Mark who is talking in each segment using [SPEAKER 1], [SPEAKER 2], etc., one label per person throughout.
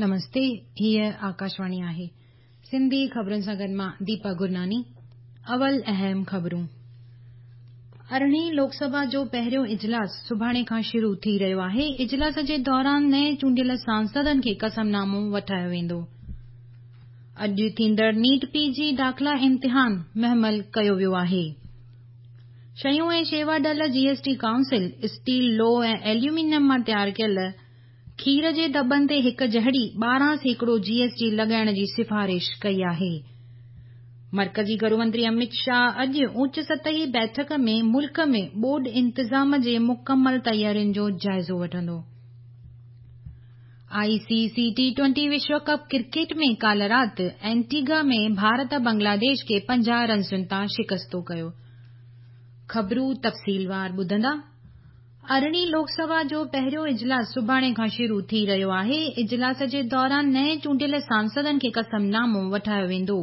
[SPEAKER 1] نمستي، هيء آڪاشواڻي آهي. سنڌي خبرن سان گڏ مان ديپا گرناني. اول اهم خبرون. ارڙهين لوڪ سڀا جو پهريون اجلاس سڀاڻي کان شروع ٿي رهيو آهي. اجلاس جي دوران نئين چونڊيل سانسدن کي قسم نامو وٺايو ويندو. اڄ ٿيندڙ نيٽ پي جي داخلا امتحان مهمل ڪيو ويو آهي. شيون ۽ شيوا ڊل جي ايس ٽي ڪائونسل اسٽيل، لوهه ۽ ايليومينيم مان تيار ڪيل کير جي دٻن تي هڪ جهڙي 12% جي ايس ٽي لڳائڻ جي سفارش ڪئي آهي. مرڪزي گهرو منتري امت شاهه اڄ اوچ سطحي بيٺڪ ۾ ملڪ ۾ ٻوڏ انتظام جي مڪمل تيارين جو جائزو وٺندو. آء سي سي ٽي ٽوئنٽي وشو ڪپ ڪرڪيٽ ۾ ڪالهه رات اينٽيگا ۾ ڀارت بنگلاديش کي 50 رنسن تان شڪستو ڪيو. خبرون تفصيلوار ٻڌندا. ارڙهين لوڪ سڀا جو پهريون اجلاس سڀاڻي کان شروع ٿي رهيو آهي. اجلاس جي دوران نئين چونڊيل سانسدن کي قسم نامو وٺايو ويندو.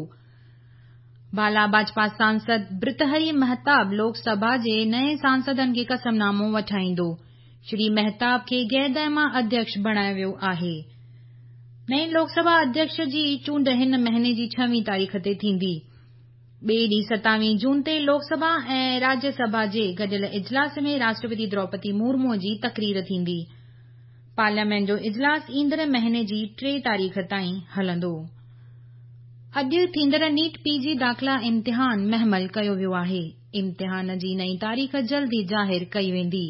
[SPEAKER 1] بالا ڀاجپا سانسد برتهري مهتاب لوڪ سڀا جي نئين سانسدن کي قسم نامو وٺائيندو. شري مهتاب کي غيردائما اڌيڪش بڻايو ويو آهي. نئين لوڪ سڀا اڌيڪش جي چونڊ هن مهيني جي ڇويهين تاريخ تي ٿيندي. ٻئي ڏينهن ستاويهين جون تي لوڪ سڀا ۽ راجيه سڀا جي گڏيل اجلاس ۾ راشٽرپتي دروپدي مورمو جي تقرير ٿيندي. پارليامينٽ جو اجلاس ايندڙ مهيني جي 3 تاريخ تائين هلندو. اڄ ٿيندڙ نيٽ پي جي داخلا امتحان مهمل ڪيو ويو آهي. امتحان جي نئين تاريخ جلد ئي ظاهر ڪئي ويندي.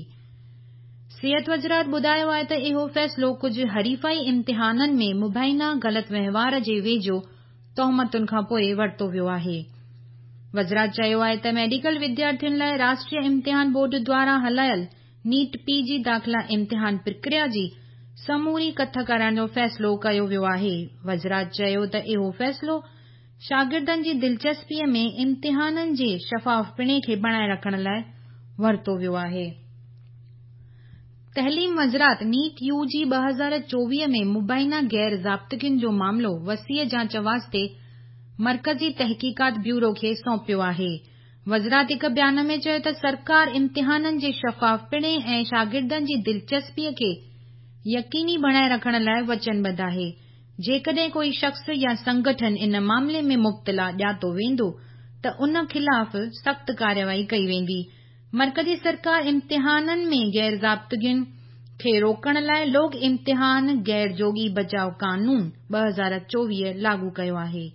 [SPEAKER 1] صحت وزارت ٻڌايو آهي ته اهو فيصلو ڪجهه حريفائي امتحانن ۾ مبينا غلط وهنوار جي ويجهو تهمتن کان پوء ورتو ويو آهي. وزارت چيو آهي ته ميڊيڪل وديارٿين لاء راشٽريه امتحان بورڊ دواران هلايل نيٽ پي جي داخلا امتحان پرڪريا جي سموري ڪٿ ڪرائڻ جو فيصلو ڪيو ويو آهي. وزارت چيو ته اهو فيصلو شاگردن جي دلچسپي ۾ امتحانن جي شفافپڻي کي بڻائي رکڻ لاء ورتو ويو آهي. تعليم وزارت نيٽ يو جي 2024 ۾ مبينا غير ضابطگين جو معاملو وسيع جاچ واسطي مرڪزي تحقيقات بيورو کي سونپيو آهي. وزارت هڪ بيان ۾ چيو ته سرڪار امتحانن جي شفافپڻي ۽ شاگردن جي دلچسپي کي يقيني بڻائي رکڻ لاء وچنبڌ آهي. جيڪڏهن ڪوئي شخص يا سنگٺن ان معاملي ۾ مبتلا ڄاتو ويندو ته ان خلاف سخت ڪارروائي ڪئي ويندي. مرڪزي سرڪار امتحانن ۾ غير ضابطگين کي روڪڻ لاء لوڪ امتحان غير جوڳي بچاء قانون 2024 لاڳو ڪيو آهي.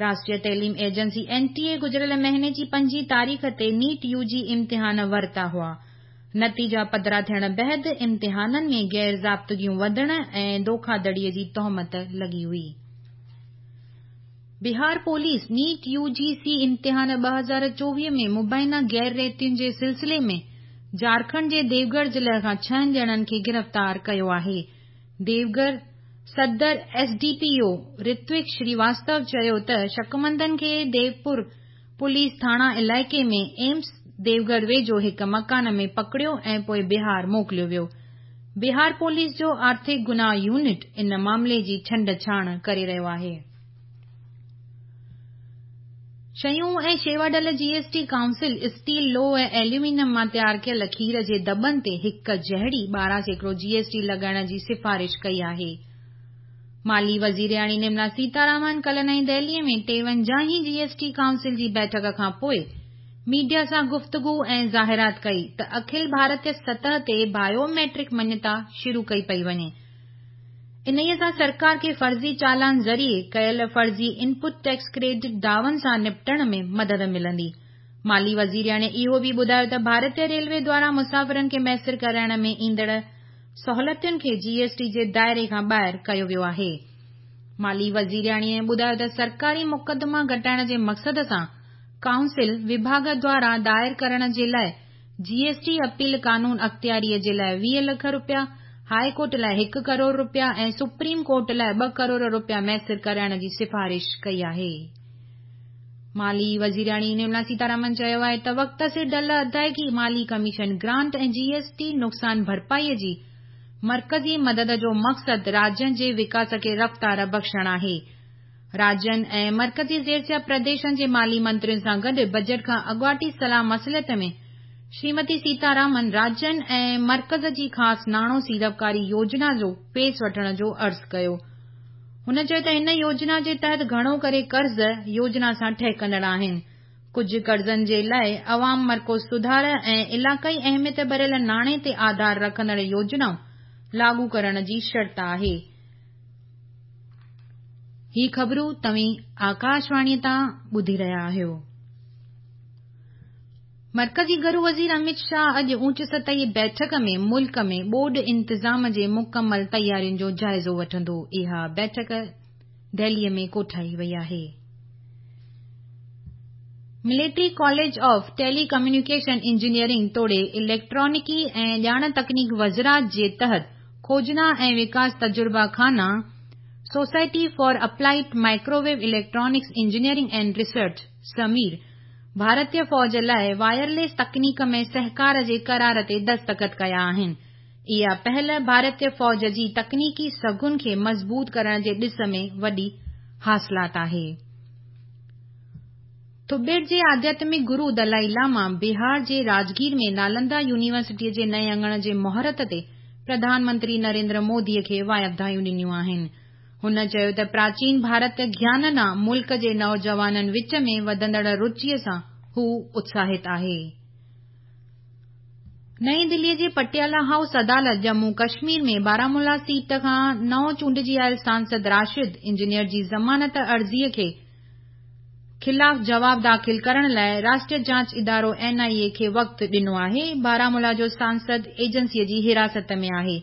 [SPEAKER 1] راشٽريه تعليم ايجنسي اين ٽي اي گذريل مهيني جي پنجين تاريخ تي نيٽ يو جي امتحان ورتا هئا. نتيجا پڌرا ٿيڻ بعد امتحانن ۾ غير ضابطگيون وڌڻ ۽ دوکاڌڙي جي تهمت لڳي هئي. بهار پوليس نيٽ يو جي سي امتحان 2024 ۾ مبينا غير ريتين جي سلسلي ۾ جهارکنڊ جي ديوگهر ضلعي کان ڇهن ڄڻن کي گرفتار ڪيو آهي. ديوگهر صدر S D P O Ritwik Srivastava چيو ته شڪمندن کي ديوپور پوليس ٿاڻا علائقي ۾ ايمس ديوگهر ويجهو هڪ مڪان ۾ پڪڙيو ۽ پوء بهار موڪليو ويو. بهار پوليس جو آرٿڪ گناهه يونٽ ان معاملي جي ڇنڊ ڇاڻ ڪري رهيو آهي. شيون ۽ شيوا ڊل جي ايس ٽي ڪائونسل اسٽيل، لوهه ۽ ايليومينيم مان تيار ڪيل کير جي دٻن تي هڪ جهڙي 12% جي ايس ٽي لڳائڻ جي سفارش ڪئي آهي. مالي وزيرياڻي نرملا سيتارامن ڪالهه نئين دهلي ۾ ٽيونجاهين جي ايس ٽي ڪائونسل جي بيٺڪ کان پوء ميڊيا سان گفتگو ۽ ظاهرات ڪئي ته اکل ڀارتي سطح تي بايو ميٽرڪ مڃتا شروع ڪئي پئي وڃي. انهيء سان سرڪار کي فرضي چالان ذريعي ڪيل فرضي انپٽ ٽيڪس ڪريڊٽ دعون سان نپٽڻ ۾ مدد ملندي. مالي وزيرياڻي اهو به ٻڌايو ته ڀارتي ريلوي دواران مسافرن کي ميسر ڪرائڻ ۾ ايندڙ سهولتين کي جي ايس ٽي جي دائري کان ٻاهر ڪيو ويو آهي. مالي وزيرياڻيء ٻڌايو ته سرڪاري مقدما گهٽائڻ جي مقصد سان ڪائونسل وڀاڳ دواران دائر ڪرڻ جي لاء جي ايس ٽي اپيل قانون اختياريء جي لاء 20 لک رپيا، هاء ڪورٽ لاء هڪ ڪروڙ رپيا ۽ سپريم ڪورٽ لاء 2 ڪروڙ رپيا ميسر ڪرائڻ جي سفارش ڪئي آهي. مالي وزيرياڻي نرملا سيتارامن چيو آهي ته وقت سر ڍل ادائيگي، مالي ڪميشن گرانٽ ۽ جي ايس ٽي نقصان ڀرپائي جي مرڪزي مدد جو مقصد راجين جي وڪاس کي رفتار بخشڻ آهي. راجين ۽ مرڪزي زيرسيا پرديشن جي مالي منترين سان گڏ بجيٽ کان اڳواٽي صلاح مصلحت ۾ شريمتي سيتارامن راجين ۽ مرڪز جي خاص ناڻو سيڙپڪاري يوجنا جو فيس وٺڻ جو عرض ڪيو. هن چيو ته هن يوجنا جي تحت گهڻو ڪري قرض يوجنا سان ٺهڪندڙ آهن. ڪجهه قرضن جي لاء عوام مرڪوز سڌار ۽ علائقائي اهميت ڀريل ناڻي تي آڌار رکندڙ يوجنائون لاڳو ڪرڻ جي شرط آهي. هي خبرون توهين آڪاشواڻي تان ٻڌي رهيا آهيو. مرڪزي گهرو وزير اميت شاهه اڄ اوچ سطحي بيٺڪ ۾ ملڪ ۾ ٻوڏ انتظام جي مڪمل تيارين جو جائزو وٺندو. اها بيٺڪ دهلي ۾ ڪوٺائي وئي آهي. Military college of telecommunication engineering توڙي اليڪٽرانڪي ۽ ڄاڻ تڪنيڪ وزارت جي تحت کوجنا ۽ وڪاس تجربه خانا، society for applied microwave electronics engineering and research, SAMEER, ڀارتي فوج لاء وائرليس تڪنيڪ ۾ سهڪار جي قرار تي دستخط ڪيا آهن. اها پهل ڀارتي فوج جي تڪنيڪي سگهن کي مضبوط ڪرڻ جي ڏس ۾ وڏي حاصلات آهي. تبت جي آڌياتمڪ گرو دلائي لاما بهار جي راجگير ۾ نالندا يونيورسٽيء جي نئين اڱڻ جي مهورت تي پرڌان منتري نريندر مودي کي واڌايون ڏنيون آهن. هن چيو ته پراچين ڀارتي گيان ڏانهن ملڪ جي نوجوانن وچ ۾ وڌندڙ رچيء سان هو اتساهت آهي. نئين دليء جي پٽيالا هائوس عدالت ڄمون ڪشمير ۾ بارامولا سيٽ کان نئون چونڊجي آيل سانسد راشد انجنيئر جي ضمانت عرضيء کي خلاف جواب داخل ڪرڻ لاء راشٽريه جاچ ادارو اين آء اي کي وقت ڏنو آهي. بارامولا جو سانسد ايجنسيء جي حراست ۾ آهي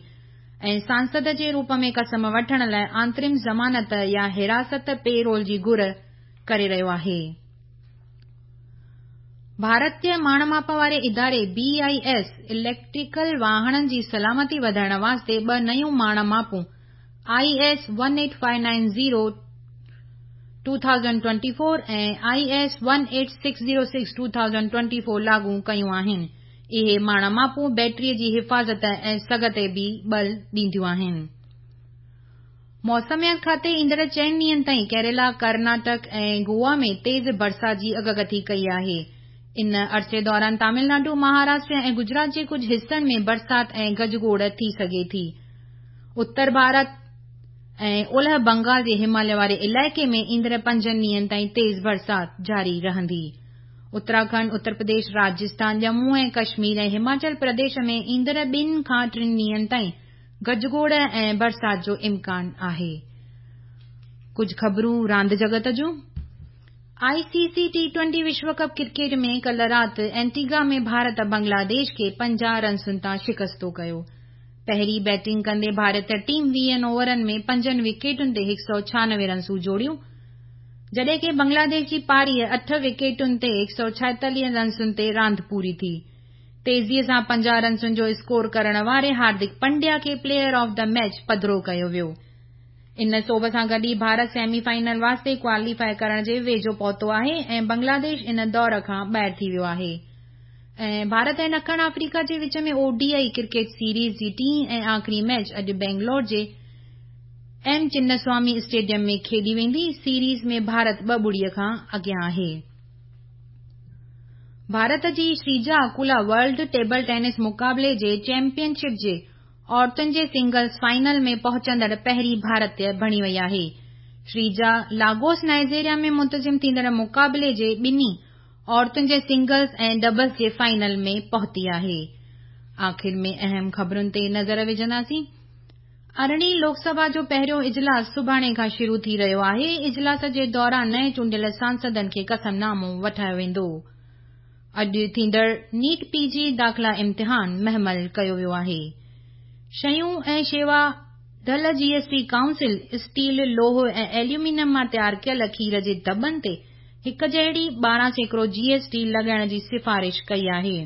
[SPEAKER 1] ۽ سانسد جي روپ ۾ قسم وٺڻ لاء آنترم ضمانت يا حراست پيرول جي گهر ڪري رهيو آهي. ڀارتي ماڻ ماپ واري اداري بي I S electrical واهڻن جي سلامتي وڌائڻ واسطي ٻه نيون ماڻ ماپون I S 18590 2024 ۽ I S 18606 2024 لاڳو ڪيون آهن. اهي ماڻ ماپون بيٽري جي حفاظت ۽ سگهه تي به ٻل ڏينديون آهن. موسميات کاتي ايندڙ چئن ڏينهن تائين ڪيرالا، ڪرناٽڪ ۽ گوا ۾ تيز برسات جي اڳڪٿي ڪئي آهي. ان عرصي دوران تامل ناڊو، مهاراشٽر ۽ گجرات جي ڪجهه حصن ۾ برسات ۽ گجگوڙ ٿي سگهي ٿي. اتر ڀارت ۽ اولهه بنگال جي هماليه واري علائقي ۾ ايندڙ پنجن ڏينهن تائين تيز برسات جاري رهندي. اتراکنڊ، اتر پرديش، راجسٿان، ڄمون ۽ ڪشمير ۽ هماچل پرديش ۾ ايندڙ ٻن کان ٽن ڏينهن تائين گجگوڙ ۽ برسات جو امڪان آهي. ڪجهه خبرون راند جڳت جون. آء سي سي ٽي ٽوئنٽي وشو ڪپ ڪرڪيٽ ۾ ڪلهه رات اينٽيگا ۾ ڀارت بنگلاديش کي 50 رنسن تان شڪستو ڪيو. پهرين بيٽنگ ڪندي ڀارتي ٽيم 20 اوورن ۾ پنجن وڪيٽن تي 196 رنسون جوڙيون، جڏهن ڪه بنگلاديش جي پاري اٺ وڪيٽن تي 146 رنسن تي راند پوري ٿي. تيزيء سان 50 رنسن جو اسڪور ڪرڻ واري هاردڪ پنڊيا کي پليئر آف the match پڌرو ڪيو ويو. ان سوڀ سان گڏ ئي ڀارت سيمي فائنل واسطي ڪواليفائي ڪرڻ جي ويجهو پهتو آهي ۽ بنگلاديش ان دور کان ٻاهر ٿي ويو آهي ۽ ڀارت ۽ ڏکڻ آفريڪا جي وچ ۾ O D I cricket series جي ٽين ۽ آخري ميچ اڄ بينگلور جي ايم چنسوامي اسٽيڊيم ۾ کيڏي ويندي. سيريز ۾ ڀارت 2-0 کان اڳيان آهي. ڀارت جي شريجا اڪولا ورلڊ ٽيبل ٽينس مقابلي جي چيمپيئن شپ جي عورتن جي سنگلز فائنل ۾ پهچندڙ پهرين ڀارتي بڻي وئي آهي. شريجا لاگوس نائيجيريا ۾ منتظم ٿيندڙ مقابلي جي ٻنهي عورتن جي سنگلز ۽ ڊبلز جي فائنل ۾ پهتي آهي. آخر ۾ اهم خبرن تي نظر وجهنداسين. ارڙهين لوڪ سڀا جو پهريون اجلاس سڀاڻي کان شروع ٿي رهيو آهي. اجلاس جي دوران نئين چونڊيل سانسدن کي قسم نامو وٺايو ويندو. اڄ ٿيندڙ نيٽ پي جي داخلا امتحان مهمل ڪيو ويو آهي. شيون ۽ شيوا ڍل جي ايس ٽي ڪائونسل اسٽيل، لوهه ۽ ايليومينيم مان تيار ڪيل کير جي دٻن تي هڪ جهڙي 12% جي ايس ٽي لڳائڻ جي سفارش ڪئي آهي.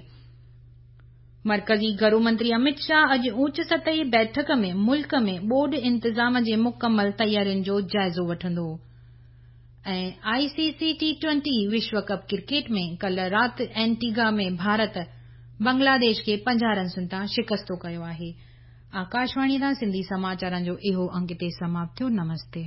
[SPEAKER 1] مرڪزي گهرو منتري اميت شاهه اڄ اوچ سطحي بيٺڪ ۾ ملڪ ۾ ٻوڏ انتظام جي مڪمل تيارين جو جائزو وٺندو ۽ آء سي سي ٽي ٽوئنٽي وشو ڪپ ڪرڪيٽ ۾ ڪلهه رات اينٽيگا ۾ ڀارت بنگلاديش کي 50 رنسن تان شڪستو ڪيو آهي. آڪاشواڻي تان سنڌي سماچارن جو اهو انگ هتي سماپت ٿيو. نمستي.